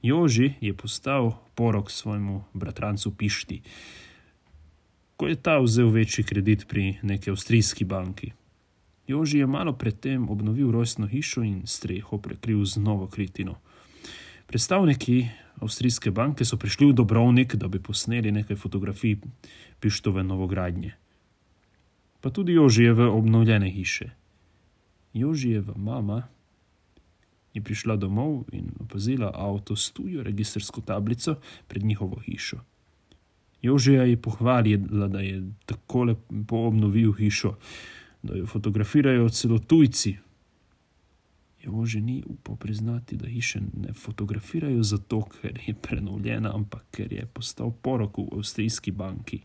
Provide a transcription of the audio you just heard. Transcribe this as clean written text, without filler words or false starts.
Joži je postal porok svojemu bratrancu Pišti, ko je ta vzel večji kredit pri neki avstrijski banki. Joži je malo predtem obnovil rojstno hišo in streho prekril z novo kritino. Predstavniki avstrijske banke so prišli v Dobrovnik, da bi posneli nekaj fotografij Pištove novogradnje. Pa tudi Jožijeve obnovljene hiše. Jožijeva mama je prišla domov in opazila avto s tujo registrsko tablico pred njihovo hišo. Jožija je pohvalila, da je tako lepo obnovil hišo, da jo fotografirajo celo tujci. Joži ni upal priznati, da hiše ne fotografirajo zato, ker je prenovljena, ampak ker je postal porok v avstrijski banki.